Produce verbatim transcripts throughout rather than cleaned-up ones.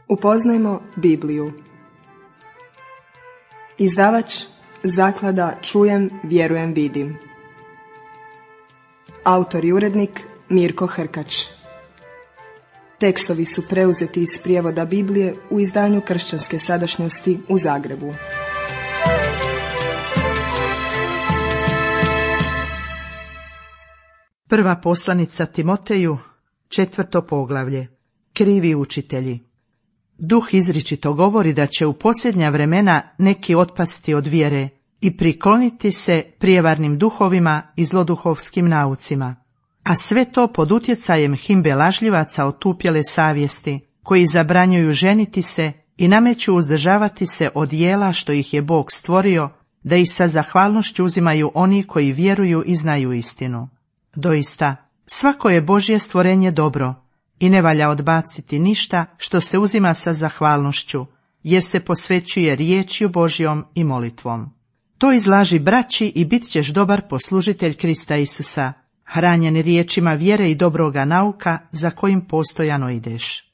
Upoznajmo Bibliju. Izdavač Zaklada Čujem, vjerujem, vidim. Autor i urednik Mirko Hrkač. Tekstovi su preuzeti iz prijevoda Biblije u izdanju Kršćanske sadašnjosti u Zagrebu. Prva poslanica Timoteju, četvrto poglavlje. Krivi učitelji. Duh izričito govori da će u posljednja vremena neki otpasti od vjere i prikloniti se prijevarnim duhovima i zloduhovskim naucima, a sve to pod utjecajem himbe lažljivaca otupjele savjesti, koji zabranjuju ženiti se i nameću uzdržavati se od jela što ih je Bog stvorio, da ih sa zahvalnošću uzimaju oni koji vjeruju i znaju istinu. Doista, svako je Božje stvorenje dobro i ne valja odbaciti ništa što se uzima sa zahvalnošću, jer se posvećuje riječju Božjom i molitvom. To izlaži braći i bit ćeš dobar poslužitelj Krista Isusa, hranjen riječima vjere i dobroga nauka za kojim postojano ideš.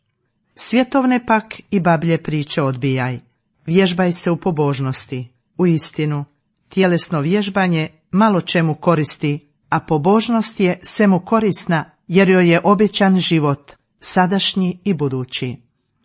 Svjetovne pak i bablje priče odbijaj. Vježbaj se u pobožnosti. U istinu, tjelesno vježbanje malo čemu koristi, a pobožnost je svemu korisna, jer joj je obećan život, sadašnji i budući.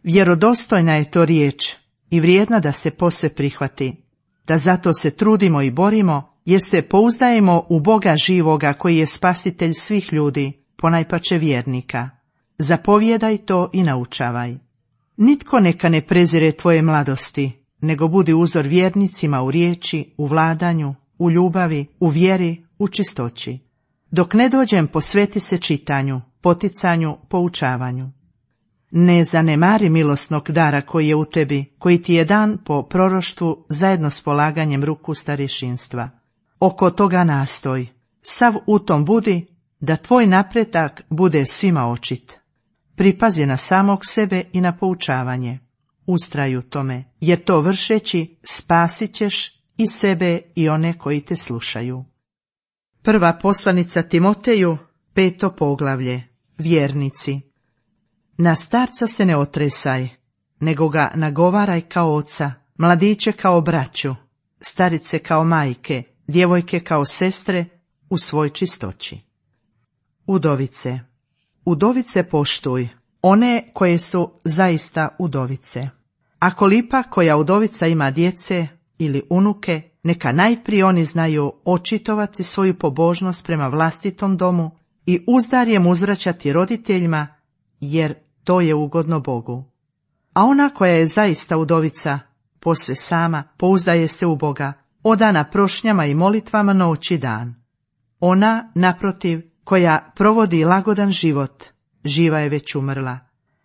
Vjerodostojna je to riječ i vrijedna da se posve prihvati, da zato se trudimo i borimo, jer se pouzdajemo u Boga živoga koji je spasitelj svih ljudi, ponajpače vjernika. Zapovjedaj to i naučavaj. Nitko neka ne prezire tvoje mladosti, nego budi uzor vjernicima u riječi, u vladanju, u ljubavi, u vjeri, u čistoći. Dok ne dođem, posveti se čitanju, poticanju, poučavanju. Ne zanemari milosnog dara koji je u tebi, koji ti je dan po proroštvu zajedno s polaganjem ruku starješinstva. Oko toga nastoj, sav u tom budi, da tvoj napredak bude svima očit. Pripazi na samog sebe i na poučavanje. Ustraj u tome, jer to vršeći spasit ćeš i sebe i one koji te slušaju. Prva poslanica Timoteju, peto poglavlje. Vjernici. Na starca se ne otresaj, nego ga nagovaraj kao oca, mladiće kao braću, starice kao majke, djevojke kao sestre, u svoj čistoći. Udovice. Udovice poštuj, one koje su zaista udovice. Ako lipa koja udovica ima djece ili unuke, neka najprije oni znaju očitovati svoju pobožnost prema vlastitom domu i uzdarjem uzvraćati roditeljima, jer to je ugodno Bogu. A ona koja je zaista udovica, posve sama, pouzdaje se u Boga, odana prošnjama i molitvama noć i dan. Ona, naprotiv, koja provodi lagodan život, živa je već umrla.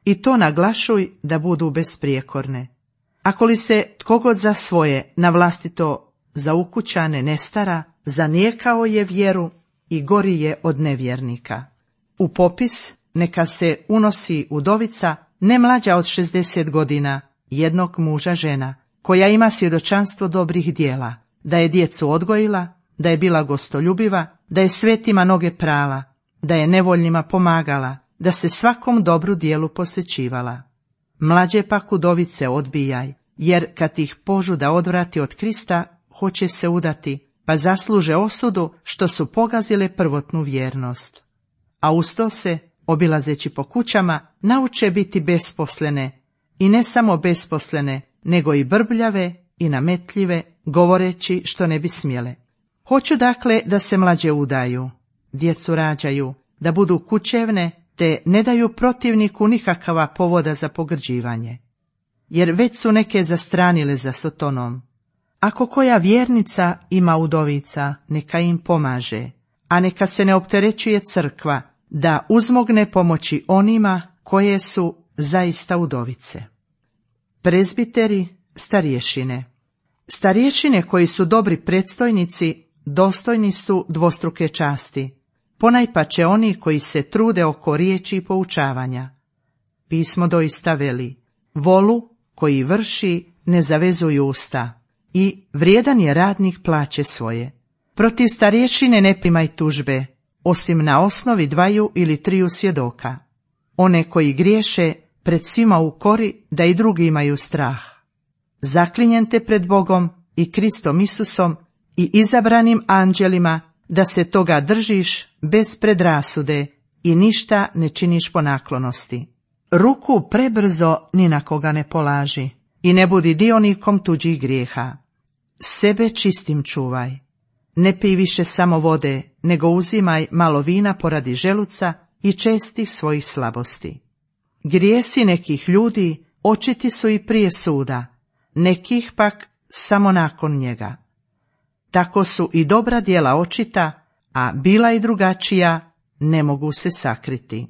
I to naglašuj da budu besprijekorne. Ako li se tko god za svoje, na vlastito za ukućane ne stara, zanijekao je vjeru i gori je od nevjernika. U popis neka se unosi udovica ne mlađa od šezdeset godina, jednog muža žena, koja ima svjedočanstvo dobrih djela, da je djecu odgojila, da je bila gostoljubiva, da je svetima noge prala, da je nevoljnima pomagala, da se svakom dobru djelu posvećivala. Mlađe pak udovice odbijaj, jer kad ih požuda odvrati od Krista, hoće se udati, pa zasluže osudu što su pogazile prvotnu vjernost. A usto se, obilazeći po kućama, nauče biti besposlene, i ne samo besposlene, nego i brbljave i nametljive, govoreći što ne bi smjele. Hoću dakle da se mlađe udaju, djecu rađaju, da budu kućevne, te ne daju protivniku nikakava povoda za pogrđivanje. Jer već su neke zastranile za Sotonom. Ako koja vjernica ima udovica, neka im pomaže, a neka se ne opterećuje crkva, da uzmogne pomoći onima koje su zaista udovice. Prezbiteri, starješine. Starješine koji su dobri predstojnici, dostojni su dvostruke časti, ponajpače oni koji se trude oko riječi i poučavanja. Pismo doista veli, volu koji vrši ne zavezuju usta, i vrijedan je radnik plaće svoje. Protiv starješine ne primaj tužbe, osim na osnovi dvaju ili triju svjedoka. One koji griješe pred svima u kori da i drugi imaju strah. Zaklinjem te pred Bogom i Kristom Isusom i izabranim anđelima da se toga držiš bez predrasude i ništa ne činiš po naklonosti. Ruku prebrzo ni na koga ne polaži i ne budi dionikom tuđih grijeha. Sebe čistim čuvaj. Ne pij više samo vode, nego uzimaj malo vina poradi želuca i čestih svojih slabosti. Grijesi nekih ljudi očiti su i prije suda, nekih pak samo nakon njega. Tako su i dobra djela očita, a bila i drugačija ne mogu se sakriti.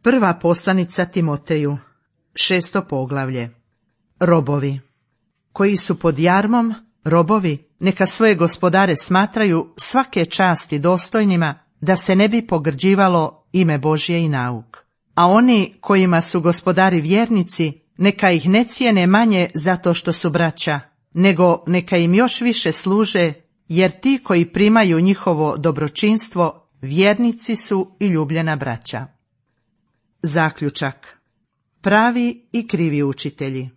Prva poslanica Timoteju, šesto poglavlje. Robovi. Koji su pod jarmom, robovi, neka svoje gospodare smatraju svake časti dostojnima, da se ne bi pogrđivalo ime Božje i nauk. A oni kojima su gospodari vjernici, neka ih ne cijene manje zato što su braća, nego neka im još više služe, jer ti koji primaju njihovo dobročinstvo, vjernici su i ljubljena braća. Zaključak. Pravi i krivi učitelji.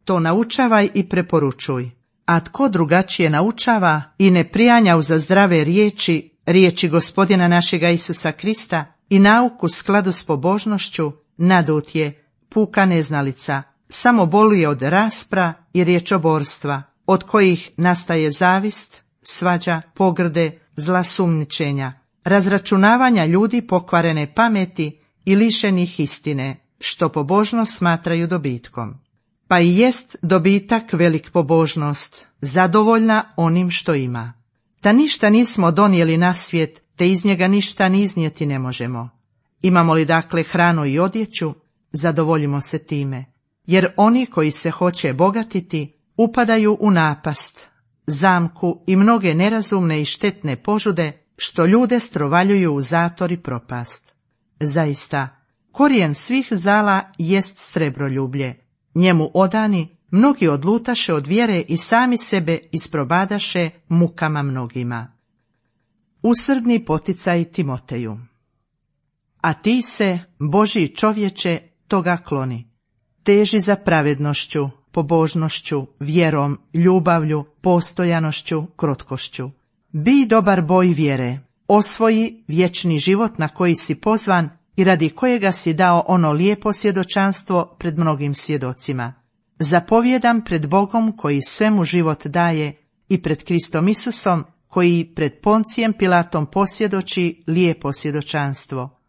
To naučavaj i preporučuj, a tko drugačije naučava i ne prijanja uza zdrave riječi, riječi Gospodina našega Isusa Krista i nauku u skladu s pobožnošću, nadut je, puka neznalica, samo boluje od raspra i riječoborstva, od kojih nastaje zavist, svađa, pogrde, zla sumnjičenja, razračunavanja ljudi pokvarene pameti i lišenih istine, što pobožnost smatraju dobitkom. Pa i jest dobitak velik pobožnost, zadovoljna onim što ima. Da ništa nismo donijeli na svijet, te iz njega ništa ni iznijeti ne možemo. Imamo li dakle hranu i odjeću, zadovoljimo se time, jer oni koji se hoće bogatiti upadaju u napast, zamku i mnoge nerazumne i štetne požude, što ljude strovaljuju u zator i propast. Zaista, korijen svih zala jest srebroljublje. Njemu odani mnogi odlutaše od vjere i sami sebe isprobadaše mukama mnogima. Usrdni poticaj Timoteju. A ti se, Božji čovječe, toga kloni. Teži za pravednošću, pobožnošću, vjerom, ljubavlju, postojanošću, krotkošću. Bi dobar boj vjere, osvoji vječni život na koji si pozvan i radi kojega si dao ono lijepo svjedočanstvo pred mnogim svjedocima. Zapovjedam pred Bogom koji svemu život daje i pred Kristom Isusom koji pred Poncijem Pilatom posvjedoči lijepo svjedočanstvo.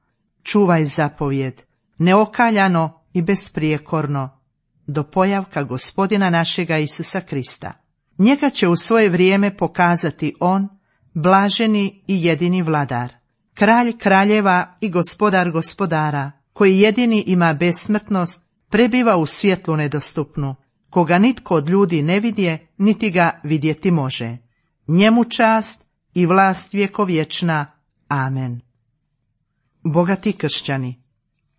Čuvaj zapovjed, neokaljano i besprijekorno, do pojavka Gospodina našega Isusa Krista. Njega će u svoje vrijeme pokazati on, blaženi i jedini vladar, kralj kraljeva i gospodar gospodara, koji jedini ima besmrtnost, prebiva u svjetlu nedostupnu, koga nitko od ljudi ne vidje, niti ga vidjeti može. Njemu čast i vlast vjekovječna. Amen. Bogati kršćani.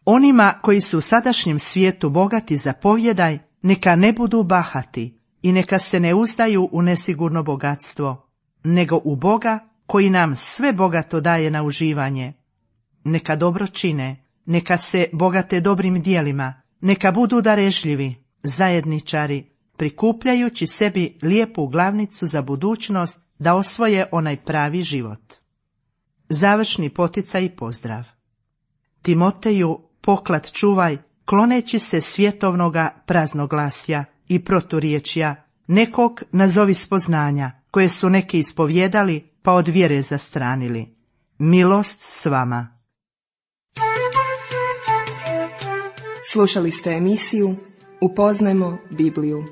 Onima koji su u sadašnjem svijetu bogati zapovjedaj, neka ne budu bahati i neka se ne uzdaju u nesigurno bogatstvo, nego u Boga koji nam sve bogato daje na uživanje. Neka dobro čine, neka se bogate dobrim dijelima, neka budu darežljivi, zajedničari, prikupljajući sebi lijepu glavnicu za budućnost da osvoje onaj pravi život. Završni poticaj i pozdrav. Timoteju, poklad čuvaj, kloneći se svjetovnoga praznoglasja i proturječja, nekog nazovi spoznanja, koje su neki ispovjedali pa od vjere zastranili. Milost s vama. Slušali ste emisiju Upoznajmo Bibliju.